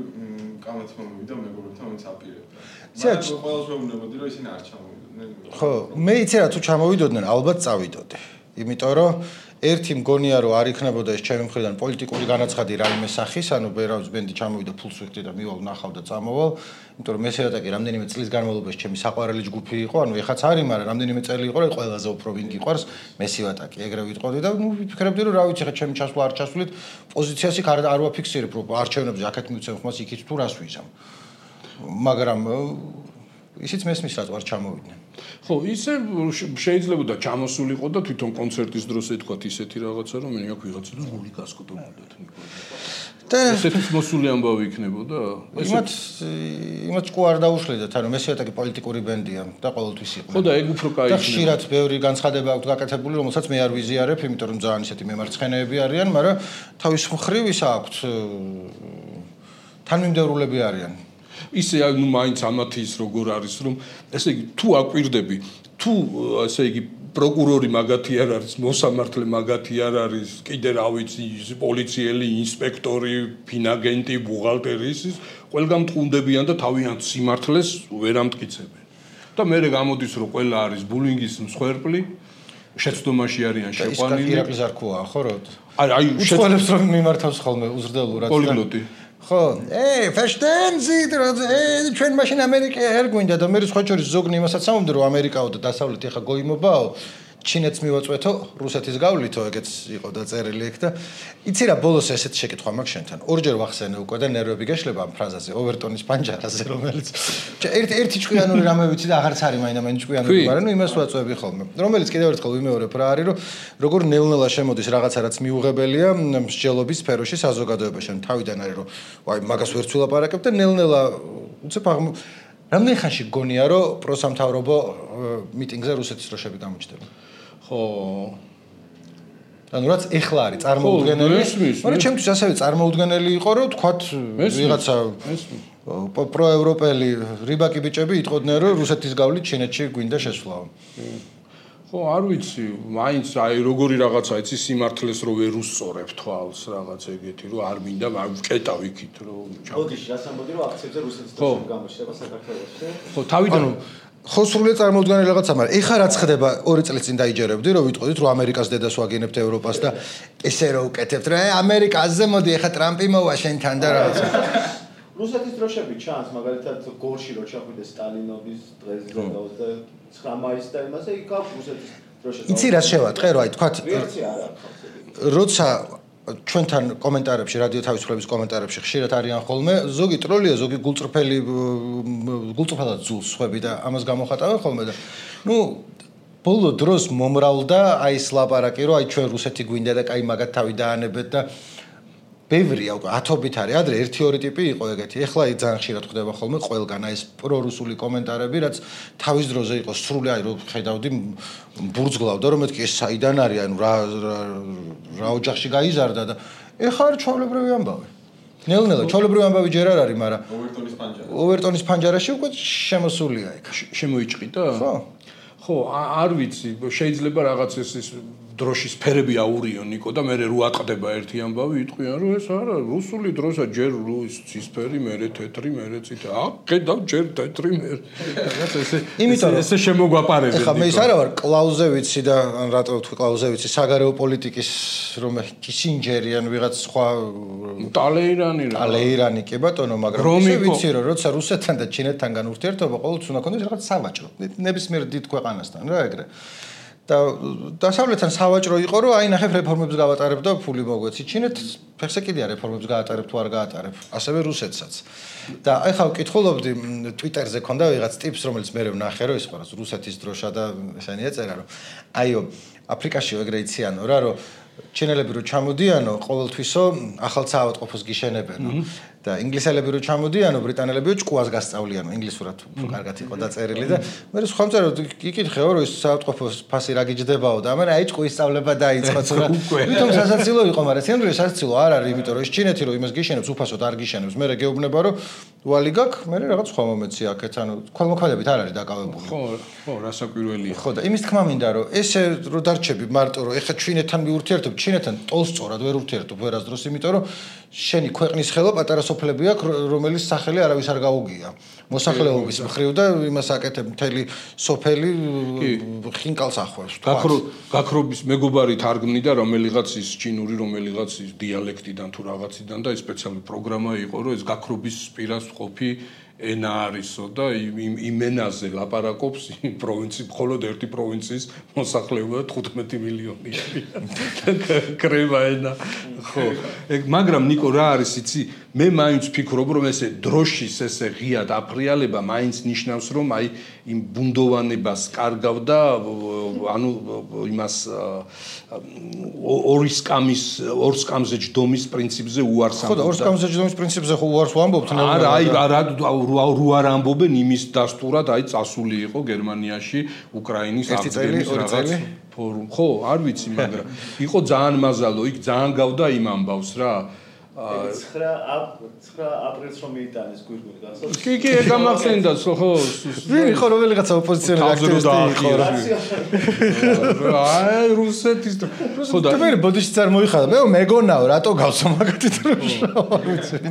[SPEAKER 4] კამათი მომივიდა მეგობრებთან, ვინც აპირებდა. მაგრამ ყველაზე მეუბნებოდი რომ ისინი არ ჩამოვიდნენ.
[SPEAKER 3] ხო, მე იცი რა თუ ჩამოვიდოდნენ, ალბათ წავიდოდი. იმიტომ რომ ერთი მგონია რომ არ იქნებოდა ეს ჩემი მხრიდან პოლიტიკური განაცხადი რაიმე სახის, ანუ ბერავის ბენდი ჩამოვიდა ფულს ვიხდი და მივალ ნახავ და წამოვალ, იმიტომ რომ მესევატაკი რამდენიმე წლის განმავლობაში ჩემი საყვარელი ჯგუფი იყო, ანუ ეხაც არის, მაგრამ რამდენიმე წელი იყო, რომ ყველაზე უფრო ვინ გიყვარს მესევატაკი, ეგრე ვიტყოდი და ნუ ვიფიქრებდი რომ რა ვიცი ხა ჩემი ჩასვლა არ ჩასვლით, პოზიციას იქ არ ვაფიქსირებ, რომ არჩევნებზე აქეთ მივცემ ხმას იქით თუ რას ვიზამ. მაგრამ ისიც მესმის რაც არ ჩამოვიდნენ.
[SPEAKER 2] ხო, ისე შეიძლება და ჩამოსულიყო და თვითონ კონცერტის დროს ეთქვათ ისეთი რაღაცა, რომ მე აქ ვიღაცა და გული გასკოტებოდათ ნიკოლე. და ესეც მოსული ამბავი იქნებოდა.
[SPEAKER 3] იმათ ყო არ დაუშლედათ, ანუ მესევატაკი პოლიტიკური ბენდია და ყოველთვის იყო.
[SPEAKER 2] ხო და ეგ უფრო კაი იქნება. და
[SPEAKER 3] ხშირად ბევრი განცხადება აქვს გაკეთებული, რომელსაც მე არ ვიზიარებ, იმიტომ რომ ძალიან ისეთი მემარცხენეები არიან, მაგრამ თავის მხრივ ისა აქვს თანმიმდევრულები არიან.
[SPEAKER 2] ისე ნუ მაინც ამათი ის როგორ არის რომ ესე იგი თუ აკვირდები თუ ესე იგი პროკურორი მაგათი არ არის მოსამართლე მაგათი არ არის კიდე რა ვიცი პოლიციელი ინსპექტორი ფინაგენტი ბუღალტერი ის ყველგან მტყუნდებიან და თავიანთ სიმართლეს ვერ ამტკიცებენ და მე გამოდის რომ ყველა არის ბულინგის მსხვერპლი შეცდომაში არიან შეყვანილი
[SPEAKER 3] ირაკლის არ ქოა ხო რა
[SPEAKER 2] აი
[SPEAKER 3] უცხოელებს რომ მიმართავს ხოლმე უზრდელურად
[SPEAKER 2] პოლიგლოტი
[SPEAKER 3] ხო, verstehen Sie, ჩვენ მაშინ ამერიკა არ გვინდა და მე სხვა შორის ზოგნი იმასაც ამბობდი რომ ამერიკაო და დასავლეთი ხა გოიმობაო, ჩინეთს მივაწვეთო, რუსეთის გავლიათო, ეგეც იყო დაწერილი ეგ და იცი რა ბოლოს ესეთ შეკითხვა მაქვს შენთან. ორჯერ ვახსენე უკვე და ნერვები გეშლება ამ ფრაზაზე, ოვერტონის პანჯარაზე, რომელიც ერთი ჭკვიანური რამე ვიცი და აღარც არის მაინდა-მაინც ჭკვიანური, მაგრამ ნუ იმას ვაწვევი ხოლმე. რომელიც კიდევ ერთხელ ვიმეორებ რა არის, რომ როგორ ნელ-ნელა შემოდის რაღაცა რაც მიუღებელია მსჯელობის სფეროში საზოგადოებაში. თავიდან არის რომ ვაი მაგას ვერც ვილაპარაკებ და ნელ-ნელა უცებ რამდენი ხანში გონია რომ პროსამთავრობო მიტინგზე რუსეთის დროშები გამოჩნდება.
[SPEAKER 2] ხო.
[SPEAKER 3] ანუ რაც ეხლა არის წარმოუდგენელი, მაგრამ ჩემთვის ასევე წარმოუდგენელი იყო, რომ თქვათ ვიღაცა პროევროპელი რიბაკი ბიჭები იტყოდნენ, რომ რუსეთის გავლით ჩინეთში გვინდა შესვლაო.
[SPEAKER 2] ხო, არ ვიცი, მაინც აი როგორი რაღაცა იცი სიმართლეს რო ვერ უსწორებ თვალს რაღაც ეგეთი, რომ არ მინდა ვკეტავ იქით, რომ
[SPEAKER 1] ოდიში რას ამბობდი, რომ აქციებზე რუსეთის დროშები გამოჩნდება საქართველოში.
[SPEAKER 2] ხო, თავიდან
[SPEAKER 3] ხო სრულიად წარმოუდგენელი რაღაცა, მაგრამ ეხა რაც ხდება 2 წელი წინ დაიჯერებდი, რომ ვიტყოდით, რომ ამერიკას დედას ვაგინებთ ევროპას და ესე რო უკეთებთ, რა ამერიკაზე მოდი, ეხა ტრამპი მოვა შენთან და რაღაცა.
[SPEAKER 1] რუსეთის დროშები ჩანს, მაგალითად გორში რო ჩახვიდე სტალინოვის დღეზე 29 მაისს და იმაზე იქ აქვს რუსეთის დროშები.
[SPEAKER 3] იცი რა შევატყე, რომ აი თქვათ როცა ჩვენთან კომენტარებში, რადიო თავისუფლების კომენტარებში ხშირად არიან ხოლმე, ზოგი ტროლია, ზოგი გულწრფელად ძულს ხვები და ამას გამოხატავენ ხოლმე და ნუ ბოლო დროს მომრავლდა აი ეს ლაპარაკი, რომ აი ჩვენ რუსეთი გვინდა და კაი მაგათ თავი დაანებეთ და ბევრია უკვე ათობით არის, ადრე 1-2 ტიპი იყო ეგეთი. ეხლა ძალიან ხშირად ხდება ხოლმე ყველგან აი ეს პრორუსული კომენტარები, რაც თავის დროზე იყო სრული, აი რომ ხედავდი ბურძგლავდა, რომ მეთქი ეს საიდან არის, ანუ რა ოჯახში გაიზარდა და ეხლა არის ჩვეულებრივი ამბავი. ნელ-ნელა ჩვეულებრივი ამბავი ჯერ არ არის, მაგრამ ოვერტონის პანჯარაში უკვე შემოსულია იქ.
[SPEAKER 2] შემოიჭყიდა?
[SPEAKER 3] ხო.
[SPEAKER 2] ხო, არ ვიცი, შეიძლება რაღაც ეს დროშის ფერები აურიონ ნიკო და მე რო ატყდება ერთი ამბავი იტყვიან რომ ეს არა რუსული დროშა ჯერ ცისფერი მერე თეთრი მერე წითელი აკედავ ჯერ თეთრი მერე
[SPEAKER 3] იმიტომ
[SPEAKER 2] ესე შემოგვაპარებენ
[SPEAKER 3] ეხლა მე ის არა ვარ კლაუზევიცი და რატო ვთქვი კლაუზევიცი საგარეო პოლიტიკის რომ კისინჯერი ან ვიღაც სხვა ტალეირანი კი ბატონო მაგრამ ისე ვიცი რომ როცა რუსეთთან და ჩინეთთან განურთიერთობა ყოველთვის უნდა ქონდეს რაღაც სავაჭრო ნებისმიერ დიდ ქვეყანასთან რა ეგრე და დასავლეთთან სავაჭრო იყო, რომ აი ნახე რეფორმებს გავატარებ და ფული მოგვეცი. ჩინეთს ფეხზე კიდია რეფორმებს გაატარებ თუ არ გაატარებ, ასევე რუსეთსაც. და აი ხა ვკითხულობდი Twitter-ზე ქონდა ვიღაც ტიპს, რომელიც მე ვნახე, რომ ის ყურას რუსეთის დროშა და ესენი ეწერა, რომ აიო აფრიკაში ეგრე იციანო რა, რომ ჩინელები რო ჩამოდიანო, ყოველთვისო ახალ საავადმყოფოს გიშენებენო და ინგლისელები რო ჩამოდიანო, ბრიტანელებიო ჭკუას გასწავლიანო, ინგლისურად უფრო კარგად იყო დაწერილი და მე რო სხვა მწერო იკითხეო, რომ ის საავადმყოფოს ფასი რა გიჯდებაო და მე აი ჭკუის სწავლება დაიწყო რა. თვითონ სასაცილო იყო, მაგრამ სინამდვილე სასაცილო არ არის, იმიტომ რომ ის ჩინეთი რო იმას გიშენებს, უფასოდ არ გიშენებს. მე გეუბნება რომ ვალი გაქვს, მე რაღაც სხვა მომეცი აქეთ, ანუ ქველმოქმედებით არ არის დაკავებული.
[SPEAKER 2] ხო, რასაკვირველია.
[SPEAKER 3] ხო და იმის თქმა მინდა რომ ესე რო დარჩები მარტო რომ ეხა ჩინეთთან მიურთიერთობ, ჩინეთთან ტოლსწორად ვერ ურთიერთობ ვერასდროს, იმიტომ რომ შენი ქვეყნის ხელო პატარა სოფლები აქვს, რომელიც სახელი არავის არ გაუგია. მოსახლეობის მხრივ და იმას აკეთებ მთელი სოფელი ხინკალს ახვევს.
[SPEAKER 2] გაქრობის მეგობარი თარგმნიდა რომელიღაც ის ჩინური, რომელიღაც ის დიალექტიდან თუ რაღაციდან და ეს სპეციალური პროგრამა იყო, რომ ეს გაქრობის პირას ყოფი ენა არისო და იმ ენაზე ლაპარაკობს იმ პროვინციის, მხოლოდ ერთი პროვინციის მოსახლეობა 15 მილიონი. კრევა ენა. ხო. მაგრამ ნიკო რა არის იცი? მე მაინც ვფიქრობ რომ ესე დროშის ესე ღია დაფრიალება მაინც ნიშნავს რომ აი იმ ბუნდოვანებას კარგავდა ანუ იმას ორ სკამზე ჯდომის პრინციპზე უარს ამბობ.
[SPEAKER 3] ხო და ორ სკამზე ჯდომის პრინციპზე ხო უარს ვამბობთ ნელა.
[SPEAKER 2] არა აი რო არ ამბობენ იმის დასტურად აი წასული იყო გერმანიაში უკრაინის აღდგენის რაღაც ფორუმ. ხო არ ვიცი მაგრამ იყო ძალიან მაზალო იქ ძალიან გავდა იმ ამბავს რა.
[SPEAKER 1] 9 აპრილს რომ მიიტანეს გვირგვინი გახსოვს?
[SPEAKER 2] კი, გამახსენდა, ხო.
[SPEAKER 3] ვინ ხო რომელიღაცა ოპოზიციონერი აქტივისტი იყო რა.
[SPEAKER 2] აი რუსეთის
[SPEAKER 3] ხო და მე ბოდიშიც არ მოიხადა. მე მეგონაო რატო გავსო მაგათი დროშა.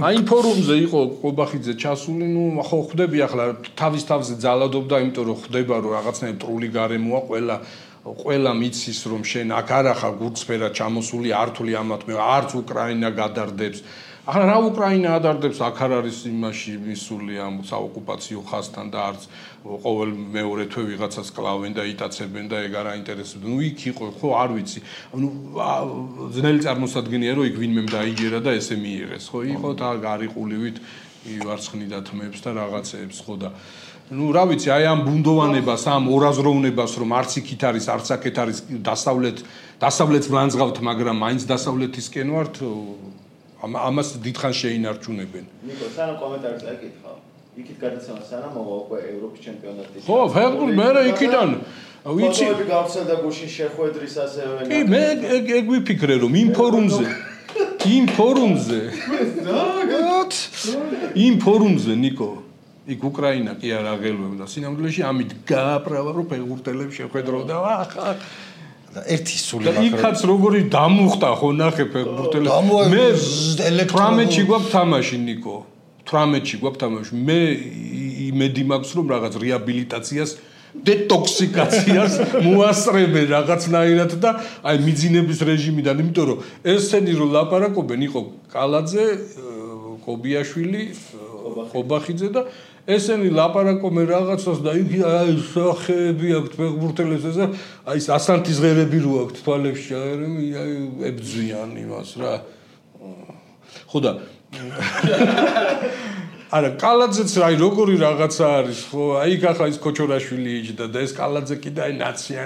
[SPEAKER 2] აი ფორუმზე იყო ყობახიძე ჩასული, ნუ ხო ხვდები ახლა თავის თავზე ძალადობდა, იმიტომ რომ ხვდება რომ რაღაცნაირად ტრული გარემოა ყველა მიცის რომ შენ აქ არ ახარ გურცფერად ჩამოსული ართული ამათ მე არც უკრაინა გადარდებს. ახლა რა უკრაინა ადარდებს აქ არ არის იმაში მისული ამ საოკუპაციო ხაზთან და არც ყოველ მეორე თვე ვიღაცას კლავენ და იტაცებენ და ეგ არ აინტერესებდა. ნუ იქ იყო ხო არ ვიცი. ნუ ძნელი წარმოსადგენია რომ იქ ვინმე დაიჯერა და ესე მიიღეს. ხო იყო და გარიყულივით ივარცხნიდა თმებს და რაღაცეებს ხო და ну, რა ვიცი, აი ამ ბუნდოვანებას, ამ ორაზროვნებას, რომ არც იქით არის, არც აქეთ არის დასავლეთს ვლანძღავთ, მაგრამ მაინც დასავლეთისკენ ვართ, ამას დიდხანს შეინარჩუნებენ.
[SPEAKER 1] ნიკო, სანამ კომენტარს აკითხავ, იქით გადაცემა სანამ მოვა უკვე ევროპის ჩემპიონატი.
[SPEAKER 2] ხო, ფეხბურთი მე იქიდან ვიცი.
[SPEAKER 1] ფოტოები გავრცელდა გუშინ შეხვედრის ასევე.
[SPEAKER 2] კი, მე ეგ ვიფიქრე, რომ იმ ფორუმზე, ნიკო იქ უკრაინა კი არ აღელვებდა სინამდვილეში ამით გააправა რომ ფეხბურთელებს შეხვედროდა ახლა
[SPEAKER 3] და ერთი სული
[SPEAKER 2] და იქაც როგორი დამუხტა ხო ნახე ფეხბურთელებს მე 18-ში გვაქვს თამაში ნიკო 18-ში გვაქვს თამაში მე იმედი მაქვს რომ რაღაც რეაბილიტაციას დეტოქსიკაციას მოასწრებენ რაღაცნაირად და აი მიძინების რეჟიმიდან იმიტომ რომ ესენი რომ ლაპარაკობენ იყო კალაძე კობიაშვილი ყობახიძე და ესენი ლაპარაკობენ რაღაცას და იქ აი სახეები აქვს ფეხბურთელებს ესა აი ასანთის ღერები რო აქვს თვალებში აი ებძვიან იმას რა ხო და არა კალაძეც აი როგორი რაღაცა არის ხო აი ახლა ის ქოჩორაშვილი იჯდა და ეს კალაძე კიდე აი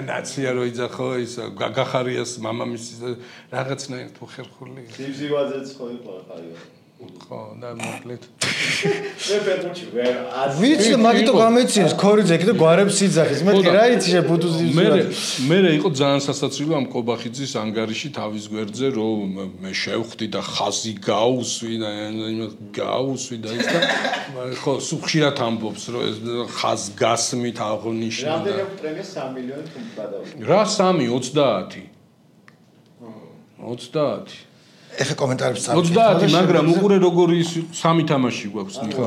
[SPEAKER 2] ნაცია რო იძახ ხო ის გაგახარიას მამამისი რაღაცნაირად ხერხული
[SPEAKER 1] ზივზივაძეც ხო იყო ხაიო
[SPEAKER 2] ხო და მოკლედ
[SPEAKER 1] მე ფეხბურთში ვერ
[SPEAKER 3] ვიცი მაგიტო გამეცინეს ქორიძე კიდე გვარებს იძახის მე რა იცი შე ბუდუზის
[SPEAKER 2] მე იყო ძალიან სასაცილო ამ ყობახიძის ანგარიში თავის გვერდზე რომ მე შევხვდი და ხაზი გაუსვი და და ის და ხო სუხშირად ამბობს რომ ეს ხაზ გასმით აღნიშნა
[SPEAKER 1] რამდენი აქვს პრემია 3 მილიონი თუ გადავიდა
[SPEAKER 2] რა 3 30
[SPEAKER 3] ეხა კომენტარებს წავიდეთ
[SPEAKER 2] 30 მაგრამ უყურე როგორი ის 3 თამაში გვაქვს ნიკო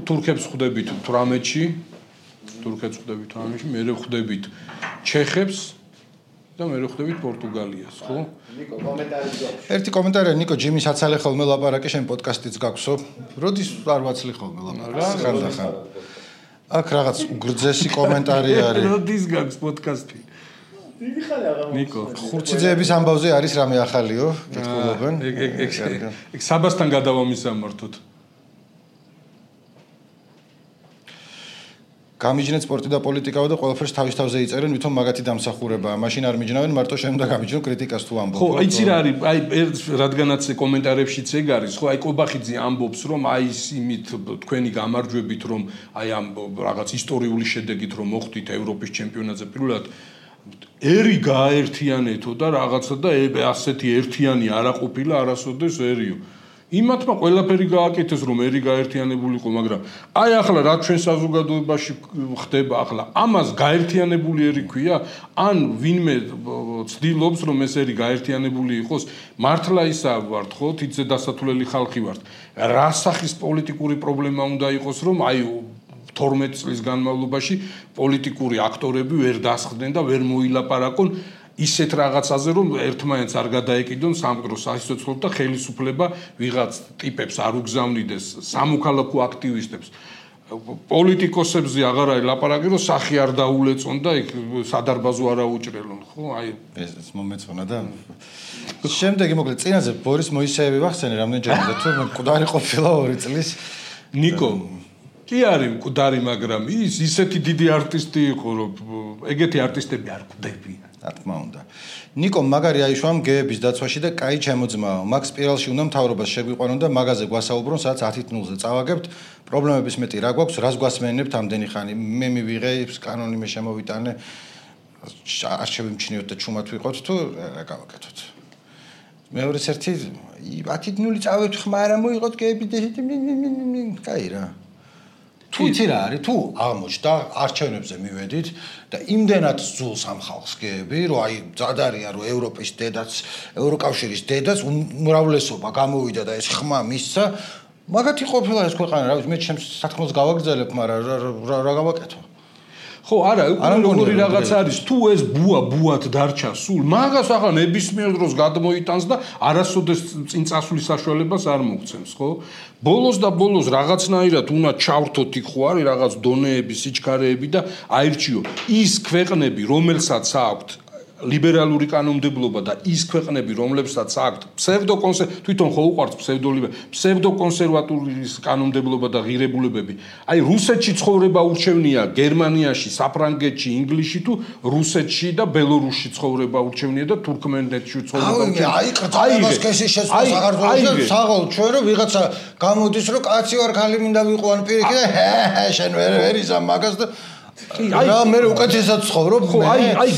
[SPEAKER 2] თურქებს ხვდებით 18-ში თურქებს ხვდებით 18-ში მე ხვდებით ჩეხებს და მე ხვდებით პორტუგალიას ხო
[SPEAKER 1] ნიკო კომენტარი გვაქვს
[SPEAKER 3] ერთი კომენტარია ნიკო ჯიმის აცალე ხოლმე ლაპარაკი შენ პოდკასტიც გაქვსო როდის არ ვაცლი ხოლმე ლაპარაკს ხანდახან აქ რაღაც უგრძესი კომენტარი არის.
[SPEAKER 2] როდის გაქვს პოდკასტი?
[SPEAKER 1] დიდი ხანი აღარ
[SPEAKER 2] ნიკო,
[SPEAKER 3] ხურციძეების ამბავზე არის რამე ახალიო? კითხულობენ.
[SPEAKER 2] ეგ საბასთან გადავამისამართოთ.
[SPEAKER 3] გამიჯნეთ სპორტი და პოლიტიკაო და ყველაფერს თავის თავზე იწერენ, ვითომ მაგათი დამსახურებაა. მაშინ არ მიჯნავენ, მარტო შემდგა გამიჯნო კრიტიკას თუ ამბობ.
[SPEAKER 2] ხო, იცი რა არის, აი რადგანაც კომენტარებშიც ეგ არის, ხო, აი კობახიძე ამბობს, რომ აი იმით თქვენი გამარჯვებით, რომ აი ამ რაღაც ისტორიული შედეგით რომ მოხვდით ევროპის ჩემპიონატზე პირველად ერი გააერთიანეთო და რაღაცა და ასეთი ერთიანი არა ყოფილა არასოდესერიო. იმათმა ყველაფერი გააკეთეს რომ ერი გაერთიანებულიყო, მაგრამ აი ახლა რა ჩვენ საზოგადოებაში ხდება ახლა ამას გაერთიანებული ერი ქვია, ან ვინმე ცდილობს რომ ეს ერი გაერთიანებული იყოს, მართლა ისა ვართ ხო, თითზე დასათვლელი ხალხი ვართ. რა სახის პოლიტიკური პრობლემა უნდა იყოს რომ აი 12 წლის განმავლობაში პოლიტიკური აქტორები ვერ დასხდნენ და ვერ მოილაპარაკონ ისეთ რაღაცაზე რომ ერთმანეთს არ გადაეკიდონ სამყაროს სასიცოცხლოდ და ხელისუფლება ვიღაც ტიპებს არ უგზავნიდეს სამოქალაქო აქტივისტებს პოლიტიკოსებზე აღარ არის ლაპარაკი რომ სახი არ დაულეწონ და იქ სადარბაზო არ აუჭრელონ ხო აი
[SPEAKER 3] ეს მომეწონა და შემდეგი მოკლედ წინაზე ბორის მოისეევი ვახსენე რამდენჯერმე თუ მკვდარი ყოფილა 2 წლის
[SPEAKER 2] ნიკო კი არის მკვდარი მაგრამ ის ისეთი დიდი არტისტი იყო რომ ეგეთი არტისტები არ გვდებიან
[SPEAKER 3] რა თქმა უნდა. ნიკო მაგარი აიშვა გეების დაცვაში და კაი ჩემოძმაო. მაგ სპირალში უნდა მთავრობას შეგვიყვანონ და მაგაზე გვასაუბრონ, სადაც 10:00-ზე წავაგებთ. პრობლემების მეტი რა გვაქვს, რას გვასმენებთ ამდენი ხანი. მე მივიღე კანონი მე შემოვიტანე. არ შევიმჩნიოთ და ჩუმად ვიყოთ თუ რა გავაკეთოთ. მეორეს ერთი 10:00 წავედით ხმა არ მოიღოთ გეები და კაი რა. თუ იცი რა არის, თუ აღმოჩნდა არჩევნებზე მივედით და იმდენად ზულს ამ ხალხს გეები, რომ აი ძადარია რომ ევროპის დედაც, ევროკავშირის დედაც უმრავლესობა გამოვიდა და ეს ხმა მისცა, მაგათი ყოფილა ეს ქვეყანა, რა ვიცი, მე ჩემს სათქმელს გავაგრძელებ, მაგრამ რა გავაკეთო?
[SPEAKER 2] ხო, არა, როგორი რაღაც არის, თუ ეს ბუად დარჩა სულ, მაგას ახლა ნებისმიერ დროს გადმოიტანს და არასოდეს წინ წასვლის საშუალებას არ მოგცემს, ხო? ბოლოს და ბოლოს რაღაცნაირად უნდა ჩავრთოთ იქ ხო არის რაღაც დონეები, სიჩქარეები და აირჩიო ის ქვეყნები, რომელსაც აქვთ ლიბერალური კანონმდებლობა და ის ქვეყნები, რომლებსაც აქვთ თვითონ ხო უყვართ ფსევდოკონსერვატურის კანონმდებლობა და ღირებულებები. აი რუსეთში ცხოვრება ურჩევნია გერმანიაში, საფრანგეთში, ინგლისში თუ რუსეთში და ბელორუსში ცხოვრება ურჩევნია და თურქმენეთში ცხოვრება ურჩევნია.
[SPEAKER 3] აი ყრწებას კეში შეცდას აღარ საღოლ ჩვენ რომ ვიღაცა გამოდის რომ კაცი ვარ ხალი მინდა ვიყო ან პირიქით და შენ ვერ იზამ მაგას და რა მე უკეთესად ცხოვრობ
[SPEAKER 2] ხო აი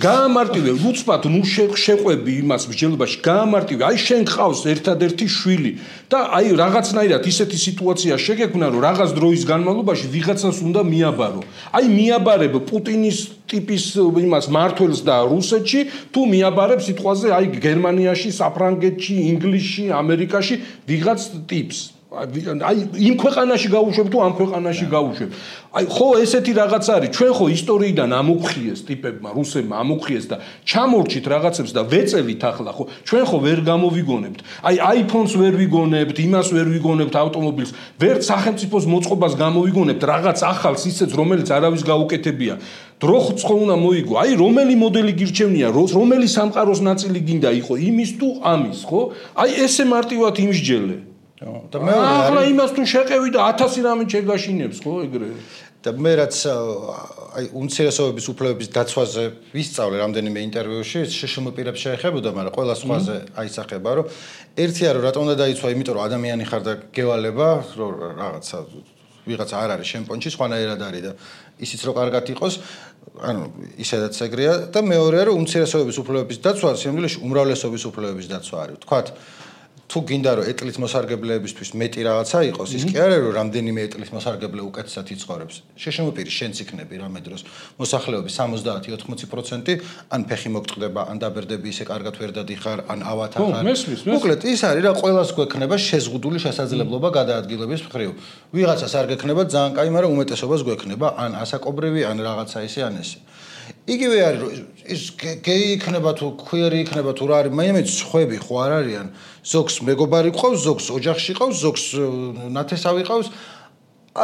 [SPEAKER 2] გაამარტივე უცბად ნუ შეყვები იმას მსჯელობაში გაამარტივე აი შენ ხავს ერთადერთი შვილი და აი რაღაცნაირად ისეთი სიტუაცია შეგექმნა რომ რაღაც დროის განმავლობაში ვიღაცას უნდა მიაბარო აი მიაბარებ პუტინის ტიპის იმას მართველს და რუსეთში თუ მიაბარებ სიტყვაზე აი გერმანიაში საფრანგეთში ინგლისში ამერიკაში ვიღაც ტიპს აი იმ ქვეყანაში გაუშვებ თუ ამ ქვეყანაში გაუშვებ აი ხო ესეთი რაღაც არის ჩვენ ხო ისტორიიდან ამოხიეს ტიპებმა რუსებმა ამოხიეს და ჩამორჩით რაღაცებს და ვეწევით ახლა ხო ჩვენ ხო ვერ გამოვიგონებთ აი iPhone-ს ვერ ვიგონებთ იმას ვერ ვიგონებთ ავტომობილს ვერ სახელმწიფოს მოწყობას გამოვიგონებთ რაღაც ახალს ისეც რომელიც არავის გაუკეთებია დრო ხო უნდა მოიგო აი რომელი მოდელი გირჩევნია რომელი სამყაროს ნაწილი გინდა იყო იმის თუ ამის ხო აი ესე მარტივად იმსჯელე
[SPEAKER 3] და მე
[SPEAKER 2] ახლა იმას თუ შეყევი და 1000 რამე შეგაშინებს ხო ეგრე
[SPEAKER 3] და მე რაც აი უმცირესობების უფლებების დაცვაზე ვისწავლე რამდენიმე ინტერვიუში შეშმოპირებს შეეხებოდა მაგრამ ყველა სხვაზე აისახება რომ ერთია რომ რატომ უნდა დაიცვა იმიტომ რომ ადამიანი ხარ და გევალება რომ რაღაცა ვიღაც არ არის შენ პონჩი სხვანაირად არის და ისიც რომ კარგად იყოს ანუ ისედაც ეგრეა და მეორეა რომ უმცირესობების უფლებების დაცვა სიმბოლოში უმრავლესობის უფლებების დაცვა არის თქვათ თუ გინდა რომ ეტლის მოსარგებლეებისთვის მეტი რაღაცა იყოს ის კი არა რომ რამდენიმე ეტლის მოსარგებლე უკეთესად იცხოვრებს შეშმოპირი შენც იქნები რამე დროს მოსახლეობის 70-80% ან ფეხი მოგწყდება ან დაბერდები ისე კარგად ვერ დადიხარ ან ავათა ხარ მოკლედ ის არის რა ყველას გვექნება შეზღუდული შესაძლებლობა გადაადგილების მხრივ ვიღაცას არ გექნება ძალიან კაი მაგრამ უმეტესობას გვექნება ან ასაკობრივი ან რაღაცა ისე ან ესე იგივე არის რომ ის გეი იქნება თუ კვიერი იქნება თუ რა არის მაინც ხვები ხო არ არიან ზოგს მეგობარი ყავს ზოგს ოჯახში ყავს ზოგს ნათესავი ყავს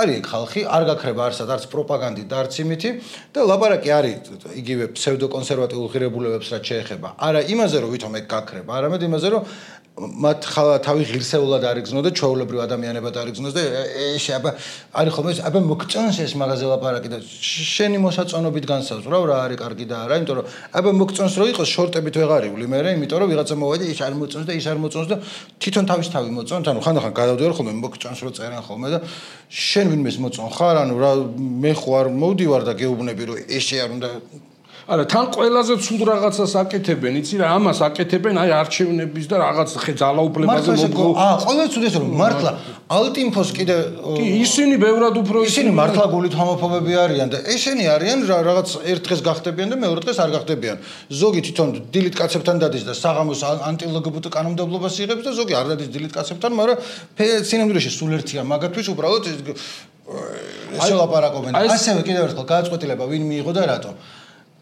[SPEAKER 3] არის ხალხი, არ გაქრება არც პროპაგანდით და არც იმითი და ლაპარაკი არის იგივე ფსევდოკონსერვატიულ ღირებულებებს რაც შეეხება. არა იმაზე რომ ვითომ ეგ გაქრება, არამედ იმაზე რომ მათ თავი ღირსეულად არიგზნო და ჩვეულებრივ ადამიანებად არიგზნოს და ეშე არის ხოლმე აბა მოგწონს ეს მაღაზე ლაპარაკი და შენი მოსაწონობით განსაზღვრავ რა არის კარგი და არა, იმიტომ რომ აბა მოგწონს რომ იყოს შორტებით ვეღარ ივლი მე, იმიტომ რომ ვიღაცა მოვადი ის არ მოწონს და ის არ მოწონს და თვითონ თავისთავი მოწონს, ანუ ხანდახან გადავდივარ ხოლმე მოგწონს რომ წერენ ხოლმე და შენ ვინმეს მოწონ ხარ, ანუ რა მე ხო არ მოვდივარ და გეუბნები რომ ეშე არ უნდა
[SPEAKER 2] არა თან ყველაზე ცუდ რაღაცას აკეთებენ იცი რა ამას აკეთებენ აი არჩევნების და რაღაც ძალაუფლებაზე მოგო
[SPEAKER 3] ყველაზე ცუდი ეს რომ მართლა ალტინფოს კიდე
[SPEAKER 2] კი ისინი ბევრად უფრო
[SPEAKER 3] ისინი მართლა გულით ჰომოფობები არიან და ესენი არიან რაღაც ერთ დღეს გახდებიან და მეორე დღეს არ გახდებიან ზოგი თვითონ დილით კაცებთან დადის და საღამოს ანტილგბტ კანონმდებლობას იღებს და ზოგი არ დადის დილით კაცებთან მაგრამ სინამდვილეში სულ ერთია მაგათთვის უბრალოდ ეს ლაპარაკობენ ასევე კიდევ ერთხელ გააწყვეტილება ვინ მიიღო და რატო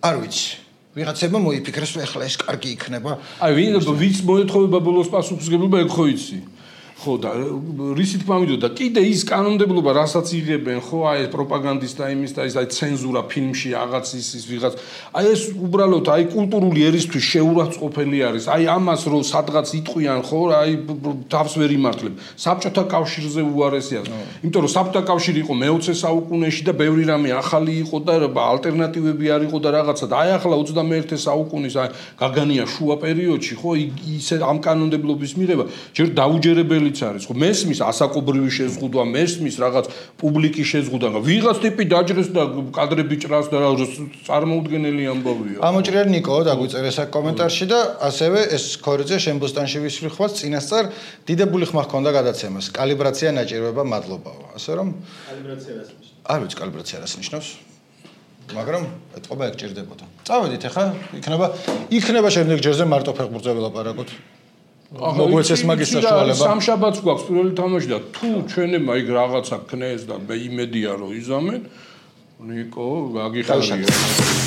[SPEAKER 3] არ ვიცი. ვიღაცებმა მოიფიქრეს, რომ ეხლა ეს კარგი იქნება.
[SPEAKER 2] აი, ვინც მოეთხოვება ბოლოს პასუხისმგებლობა, ეგ ხო იცი. ხო და რისით მამიდოდა კიდე ის კანონმდებლობა რასაც იღებენ ხო აი პროპაგანდის და იმის და ის აი ცენზურა ფილმში რაღაც ის ვიღაც აი ეს უბრალოდ აი კულტურული ერისთვის შეურაცხყოფელი არის აი ამას რომ სადღაც იტყვიან ხო აი თავს ვერ იმართლებ საბჭოთა კავშირზე უარესია იმიტომ რომ საბჭოთა კავშირი იყო მე-20 საუკუნეში და ბევრი რამე ახალი იყო და ალტერნატივები არ იყო და რაღაცა და აი ახლა 21 საუკუნის აი გაგანია შუა პერიოდში ხო ისე ამ კანონმდებლობის მიღება ჯერ დაუჯერებელი არის ხო მესმის ასაკობრივი შეზღუდვა მესმის რაღაც პუბლიკის შეზღუდვა ვიღაც ტიპი დაჯრეს და კადრები ჭრას და წარმოუდგენელი ამბავია
[SPEAKER 3] ამოჭრიერ ნიკო დაგვიწერეს აქ კომენტარში და ასევე ეს ქორიძე შემბოსტანში ვისვრიხვას წინასწარ დიდებული ხმა ჰქონდა გადაცემას კალიბრაცია ნაჭირვება მადლობაო ასე რომ
[SPEAKER 1] კალიბრაცია რას ნიშნავს
[SPEAKER 3] არ ვიცი კალიბრაცია რას ნიშნავს მაგრამ ეთყობა ეგ ჭირდებოდა წავედით ახლა იქნება შემდეგ ჯერზე მარტო ფეხბურთზე ვლაპარაკოთ მოგვეცეს მაგის საშუალება
[SPEAKER 2] სამშაბათს გვაქვს პირველი თამაში და თუ ჩვენებმა იქ რაღაცა ქნეს და მე იმედია რომ იზამენ ნიკო გაგიხარია